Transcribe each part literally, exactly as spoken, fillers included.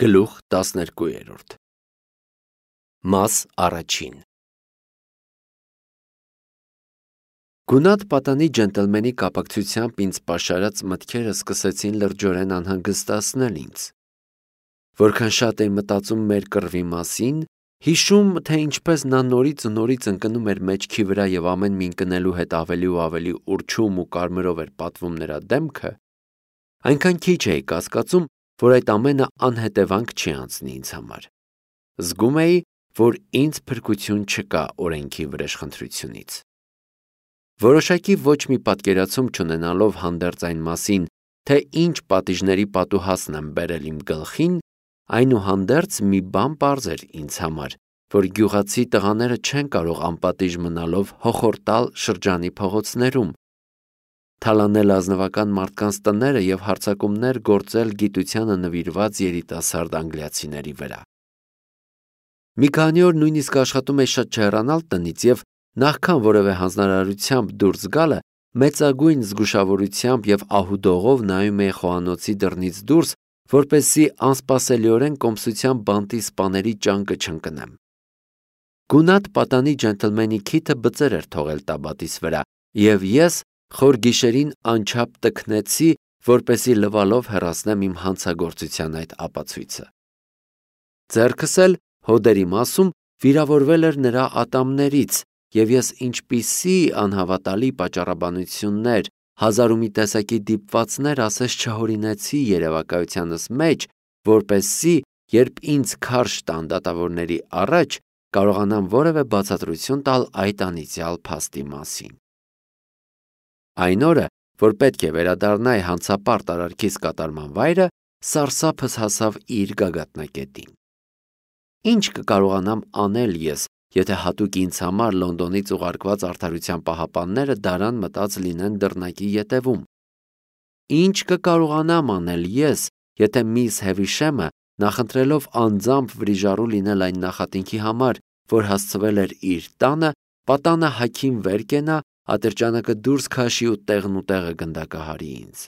Գլուխ տասներկուերորդ Մաս առաջին Գունատ պատանի ջենտլմենի կապակցությամբ ինձ պաշարած մտքերը սկսեցին լրջորեն անհանգստացնել ինձ։ Որքան շատ էի մտածում մեր կռվի մասին, հիշում, թե ինչպես նա նորից ու նորից ընկնում էր մեջքի վրա և ամեն մի ընկնելու հետ ավելի ու ավելի ուռչում ու կարմրով էր պատվում նրա դեմքը, այնքան քիչ էի կասկածում, որ այդ ամենը անհետևանք չի անցնի ինձ համար։ Զգում էի, որ ինձ փրկություն չկա օրենքի վրեժխնդրությունից։ Որոշակի ոչ մի պատկերացում չունենալով հանդերձ այն մասին, թե ինչ պատիժների պատուհասն եմ բերել իմ գլխին, այնուհանդերձ մի բան պարզ էր ինձ համար, որ գյուղացի տղաները չեն կարող անպատիժ մնալով հոխորտալ շրջանի փողոցներում, թալանել ազնվական մարդկանց տները և հարձակումներ գործել գիտությանը նվիրված երիտասարդ անգլիացիների վրա։ Մի քանի օր նույնիսկ աշխատում էի շատ չհեռանալ տնից և նախքան որևէ հանձնարարությամբ դուրս գալը, մեծագույն զգուշավորությամբ և ահուդողով նայում էի խոհանոցի դռնից դուրս, որպեսզի անսպասելիորեն կոմսությամբ բանտի սպաների ճանկը չընկնեմ։ Գունատ պատանի ջենտլմենի քիթը բծեր էր թողել տաբատիս վրա, և ես խոր գիշերին անչափ տքնեցի, որպեսզի լվալով հեռացնեմ իմ հանցագործության այդ ապացույցը։ Ձեռքս էլ հոդերի մասում վիրավորվել էր նրա ատամներից, և ես ինչպիսի անհավատալի պատճառաբանություններ, հազար ու մի տեսակի դիպվածներ ասես չհորինեցի երևակայությանս մեջ, որպեսզի, երբ ինձ քարշ տան դատավորների առաջ, կարողանամ որևէ բացատրություն տալ այդ անիծյալ փաստի մասին։ Այն օրը, որ պետք է վերադառնայի հանցապարտ արարքիս կատարման վայրը, սարսափս հասավ իր գագաթնակետին։ Ինչ կկարողանամ անել ես, եթե հատուկ ինձ համար Լոնդոնից ուղարկված արդարության պահապանները դարան մտած լինեն դռնակի ետևում։ Ինչ կկարողանամ անել ես, եթե միս Հևիշեմը, նախընտրելով անձամբ վրիժառու լինել այն նախատինքի համար, որ հասցվել էր իր տանը, պատանը հագին վեր կենա, ատրճանակը դուրս քաշի ու տեղն ու տեղը գնդակահարի ինձ։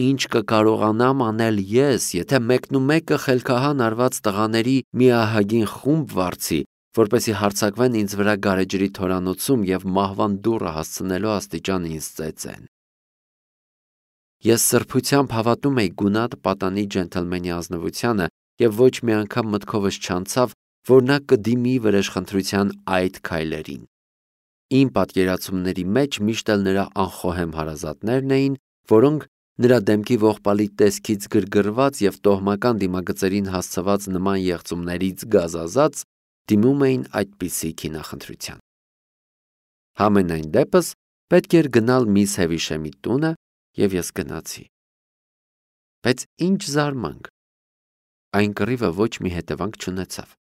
Ինչ կկարողանամ անել ես, եթե մեկնումեկը խելքահան արված տղաների մի ահագին խումբ վարձի, որպեսզի հարձակվեն ինձ վրա գարեջրի թորանոցում և մահվան դուռը հասցնելու աստիճան ինձ ծեծեն։ Ես սրբությամբ հավատում էի գունատ պատանի ջենտլմենի ազնվությանը և ոչ մի անգամ մտքովս չանցավ, որ նա կդիմի վրեժխնդրության այդ քայլերին։ Իմ պատկերացումների մեջ միշտ էլ նրա անխոհեմ հարազատներն էին, որոնք նրա դեմքի ողբալի տեսքից գրգռված և տոհմական դիմագծերին հասցված նման եղծումներից գազազած, դիմում էին այդպիսի քինախնդրության։ Համենայն դեպս, պետք էր գնալ միս Հևիշեմի տունը, և ես գնացի։ Բայց ինչ զարմանք, այն կռիվը ոչ մի հետևանք չունեցավ։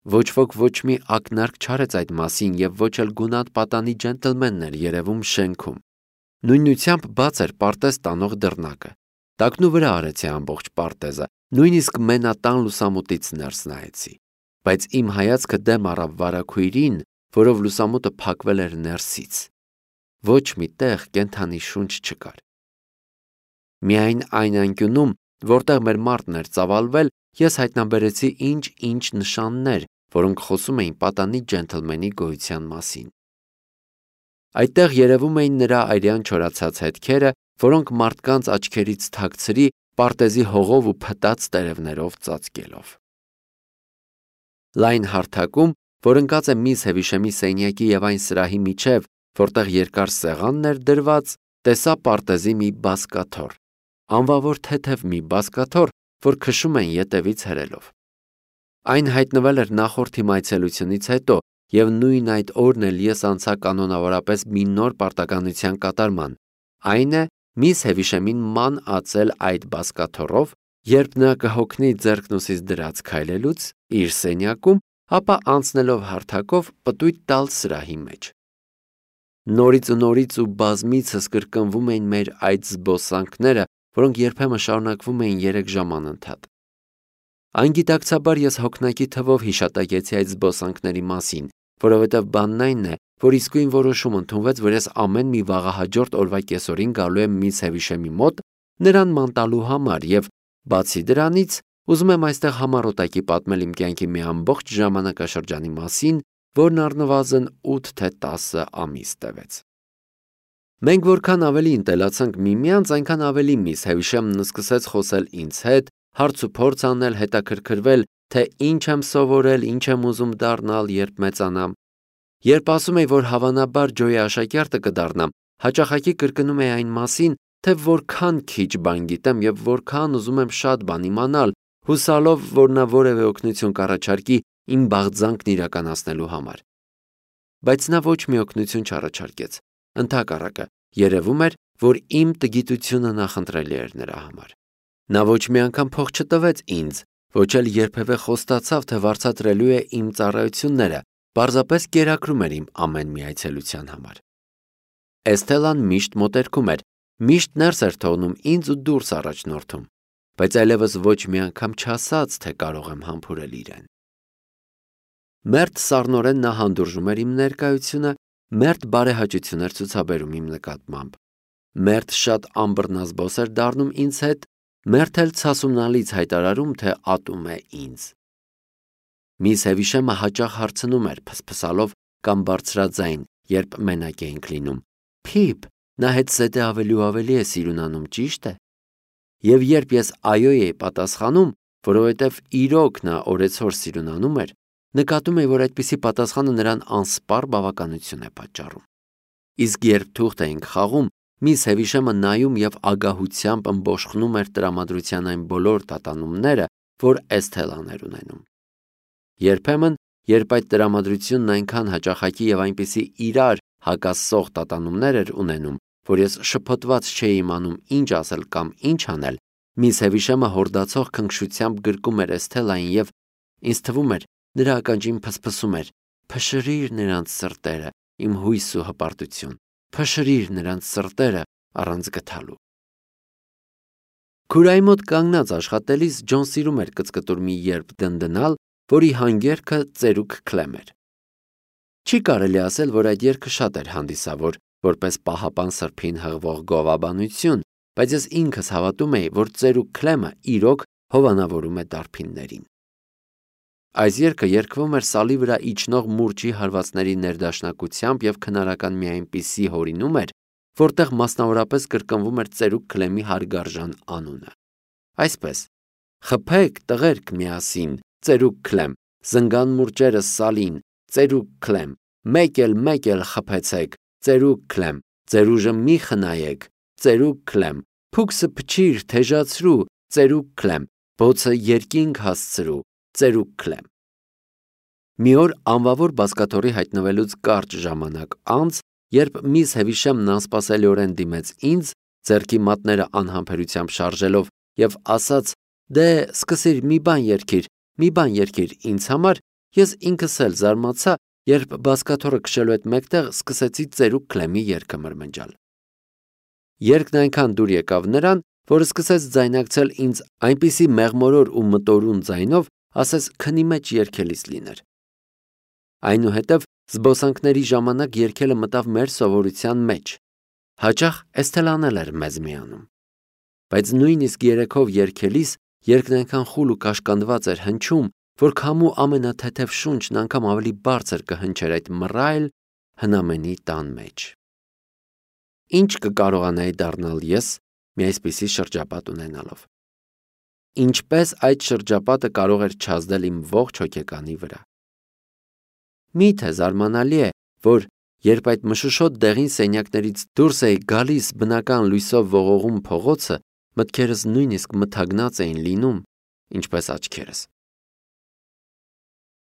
Ոչ ոք ոչ մի ակնարկ չարեց այդ մասին և ոչ էլ գունատ պատանի ջենտլմենն էր երևում շենքում։ Նույնությամբ բաց էր պարտեզ տանող դռնակը։ Տակնուվրա արեցի ամբողջ պարտեզը, նույնիսկ մենատան լուսամուտից ներս նայեցի։ Բայց իմ հայացքը դեմ առավ վարագույրին, որով լուսամուտը փակվել էր ներսից։ Ոչ մի տեղ կենդանի շունչ չկար։ Միայն այն անկյունում, որտեղ մեր մարդն էր ծավալվել, ես հայտնաբերեցի ինչ-ինչ նշաններ, որոնք խոսում էին պատանի ջենտլմենի գոյության մասին։ Այդտեղ երևում էին նրա արյան չորացած հետքերը, որոնք մարդկանց աչքերից թաքցրի պարտեզի հողով ու փտած տերևներով ծածկելով։ Լայն հարթակում, որ ընկած է միս Հևիշեմի սենյակի և այն սրահի միջև, որտեղ երկար սեղանն էր դրված, տեսա պարտեզի մի բազկաթոռ, անվավոր թեթև մի բազկաթոռ, որ քշում էին ետևից հրելով։ Այն հայտնվել էր նախորդ իմ այցելությունից հետո, և նույն այդ օրն էլ ես անցա կանոնավորապես մի նոր պարտականության կատարման, այն է միս Հևիշեմին ման ածել այդ բազկաթոռով, երբ նա կհոգնի ձեռքն ուսից դրած քայլելուց իր սենյակում, ապա անցնելով հարթակով պտույտ տալ սրահի մեջ։ Նորից ու նորից ու բազմիցս կրկնվում էին մեր այդ զբոսանքները, որոնք երբեմն շարունակվում էին երեք ժամ անընդհատ։ Անգիտակցաբար ես հոգնակի թվով հիշատակեցի այդ զբոսանքների մասին, որովհետև բանն այն է, որ իսկույն որոշում ընդունվեց, որ ես ամեն մի վաղահաջորդ օրվա կեսօրին գալու եմ միս Հևիշեմի մոտ նրան ման տալու համար և, բացի դրանից, ուզում եմ այստեղ համառոտակի պատմել իմ կյանքի մի ամբողջ ժամանակաշրջանի մասին, որն առնվազն ութ թե տասը ամիս տևեց։ Մենք որքան ավելի ընտելացանք միմյանց, այնքան ավելի միս Հևիշեմն սկսեց խոսել ինձ հետ, հարց ու փորձ անել, հետաքրքրվել, թե ինչ եմ սովորել, ինչ եմ ուզում դառնալ, երբ մեծանամ։ Երբ ասում էի, որ հավանաբար Ջոյի աշակերտը կդառնամ, հաճախակի կրկնում էի այն մասին, թե որքան քիչ բան գիտեմ եւ որքան ուզում եմ շատ բան իմանալ, հուսալով, որ նա որևէ օգնություն կառաջարկի իմ բաղձանքն իրականացնելու համար։ Բայց նա ոչ մի օգնություն չառաջարկեց։ Ընդհակառակը, երևում էր, որ իմ տգիտությունը նախընտրելի էր նրա համար։ Նա ոչ մի անգամ փող չտվեց ինձ, ոչ էլ երբևէ խոստացավ, թե վարձատրելու է իմ ծառայությունները, պարզապես կերակրում էր իմ ամեն մի այցելության համար։ Էսթելան միշտ մոտերքում էր, միշտ ներս էր թողնում ինձ ու դուրս առաջնորդում, բայց այլևս ոչ մի անգամ չասաց, թե կարող եմ համբուրել իրեն։ Մերթ սառնորեն նա հանդուրժում էր իմ ներկայությունը, մերթ բարեհաճություն էր ցուցաբերում իմ նկատմամբ, մերթ շատ ամբռնազբոս էր դառնում ինձ հետ, մերթ էլ ցասումնալից հայտարարում, թե ատում է ինձ։ Միս Հևիշեմը հաճախ հարցնում էր փսփսալով կամ բարձրաձայն, երբ մենակ էինք լինում. Փիփ, նա հետ զետե ավելի ու ավելի է սիրուն անում, ճիշտ է։ Եվ երբ ես այո էի պատասխանում, որովհետև իրոք նա օրեցօր սիրունանում էր, նկատում էի, որ այդպիսի պատասխանը նրան անսպառ բավականություն է պատճառում։ Իսկ երբ թուղթ էինք խաղում, միս Հևիշեմը նայում եւ ագահությամբ ըմբոշխնում էր տրամադրության այն բոլոր տատանումները, որ Էսթելան էր ունենում։ Երբեմն, երբ այդ տրամադրությունն այնքան հաճախակի եւ այնպիսի իրար հակասող տատանումներ էր ունենում, որ ես շփոթված չէի իմանում ինչ ասել կամ ինչ անել, միս Հևիշեմը հորդացող քնքշությամբ գրկում էր Էսթելային եւ ինձ թվում էր, նրա ականջին փսփսում էր. «Փշրիր նրանց սրտերը, իմ հույս ու հպարտություն, փշրիր նրանց սրտերը առանց գթալու»։ Քուրայի մոտ կանգնած աշխատելիս Ջոն սիրում էր կծկտուր մի երբ դնդնալ, որի հանգերքը ծերուկ Քլեմ էր։ Չի կարելի ասել, որ այդ երգը շատ էր հանդիսավոր, որպես պահապան սրբին հղվող գովաբանություն, բայց ես ինքս հավատում էի, որ ծերուկ Քլեմը իրոք հովանավորում է դարբիններին։ Այս երգը երգվում էր սալի վրա իջնող մուրճի հարվածների ներդաշնակությամբ եւ քնարական մի այնպիսի հորինում էր, որտեղ մասնավորապես կրկնվում էր ծերուկ Քլեմի հարգարժան անունը։ Այսպես. «Խփեք, տղերք, միասին, ծերուկ Քլեմ, զնգան մուրճերը սալին, ծերուկ Քլեմ, մեկ էլ մեկ էլ խփեցեք, ծերուկ Քլեմ, ձեր ուժը մի խնայեք, ծերուկ Քլեմ, փուքսը փչիր, թեժացրու, ծերուկ Քլեմ, բոցը երկինք հասցրու, ծերուկ Քլեմ»։ Մի օր անվավոր բազկաթոռի հայտնվելուց կարճ ժամանակ անց, երբ միս Հևիշեմն անսպասելիորեն դիմեց ինձ, ձեռքի մատները անհամբերությամբ շարժելով եւ ասաց. «Դե, սկսիր մի բան երգիր, մի բան երգիր ինձ համար», ես ինքս էլ զարմացա, երբ բազկաթոռը քշելու հետ մեկտեղ սկսեցի ծերուկ Քլեմի երգը մրմնջալ։ Երգն այնքան դուր եկավ նրան, որ սկսեց ձայնակցել ինձ այնպիսի մեղմորոր ու մտորուն ձայնով, ասես քնի մեջ երգելիս լիներ։ Այնուհետև զբոսանքների ժամանակ երգելը մտավ մեր սովորության մեջ։ Հաճախ Էսթելան էլ էր մեզ միանում։ Բայց նույնիսկ երեքով երգելիս երգն այնքան խուլ ու կաշկանդված էր հնչում, որ քամու ամենաթեթև շունչն անգամ ավելի բարձր կհնչեր այդ մռայլ հնամենի տան մեջ։ Ինչ կկարողանայի դառնալ ես մի այսպիսի շրջապատ ունենալով։ Ինչպես այդ շրջապատը կարող էր չազդել իմ ողջ հոգեկանի վրա։ Միթե զարմանալի է, որ երբ այդ մշուշոտ դեղին սենյակներից դուրս էի գալիս բնական լույսով ողողում փողոցը, մտքերս նույնիսկ մթագնած էին լինում, ինչպես աչքերս։